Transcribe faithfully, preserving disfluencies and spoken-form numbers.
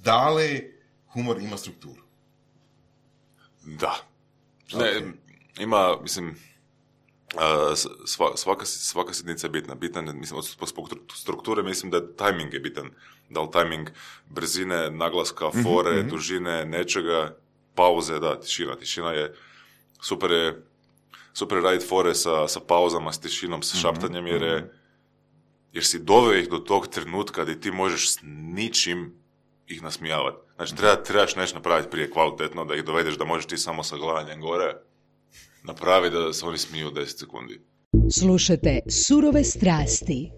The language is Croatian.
Da li humor ima strukturu? Da. Ne, Okay. Ima, mislim, sva, svaka, svaka sitnica je bitna. Bitna, mislim, od strukture mislim da je timing je bitan. Da li timing brzine, naglaska, fore, mm-hmm. dužine, nečega, pauze, da, tišina. Tišina je, super je, super je raditi fore sa, sa pauzama, s tišinom, sa šaptanjem, jer, je, jer si doveo ih do tog trenutka gdje ti možeš s ničim ih nasmijavati. Znači, treba, trebaš nešto napraviti prije kvalitetno, da ih dovedeš da možeš ti samo sa glavanjem gore napravi da se oni smiju deset sekundi. Slušajte Surove strasti.